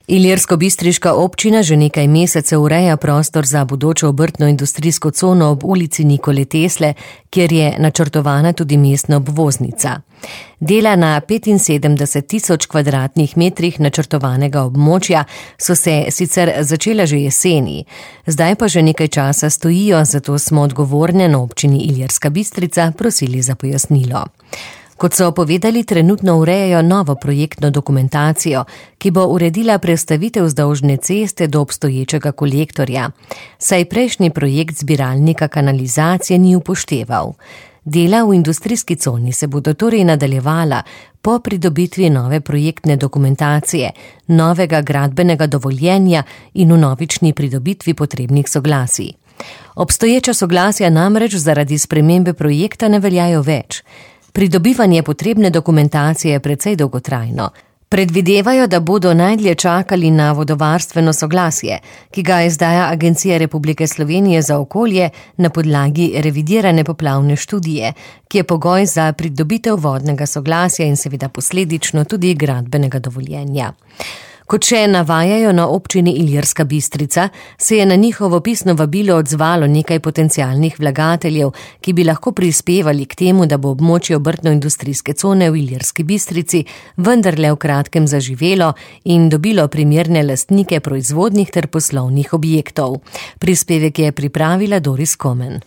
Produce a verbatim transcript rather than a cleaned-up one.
Ilirsko-bistriška občina že nekaj mesecev ureja prostor za bodočo obrtno-industrijsko cono ob ulici Nikole Tesle, kjer je načrtovana tudi mestna obvoznica. Dela na petinsedemdeset tisoč kvadratnih metrih načrtovanega območja so se sicer začela že jeseni, zdaj pa že nekaj časa stojijo, zato smo odgovorne na občini Ilirska Bistrica prosili za pojasnilo. Kot so povedali, trenutno urejajo novo projektno dokumentacijo, ki bo uredila prestavitev vzdolžne ceste do obstoječega kolektorja, saj prejšnji projekt zbiralnika kanalizacije ni upošteval. Dela v industrijski coni se bodo torej nadaljevala po pridobitvi nove projektne dokumentacije, novega gradbenega dovoljenja in vnovični pridobitvi potrebnih soglasij. Obstoječa soglasja namreč zaradi spremembe projekta ne veljajo več. Pridobivanje potrebne dokumentacije je precej dolgotrajno. Predvidevajo, da bodo najdlje čakali na vodovarstveno soglasje, ki ga izdaja Agencija Republike Slovenije za okolje na podlagi revidirane poplavne študije, ki je pogoj za pridobitev vodnega soglasja in seveda posledično tudi gradbenega dovoljenja. Kot še navajajo na občini Ilirska Bistrica, se je na njihovo pisno vabilo odzvalo nekaj potencialnih vlagateljev, ki bi lahko prispevali k temu, da bo območje obrtno-industrijske cone v Ilirski Bistrici vendarle v kratkem zaživelo in dobilo primerne lastnike proizvodnih ter poslovnih objektov. Prispevek je pripravila Doris Komen.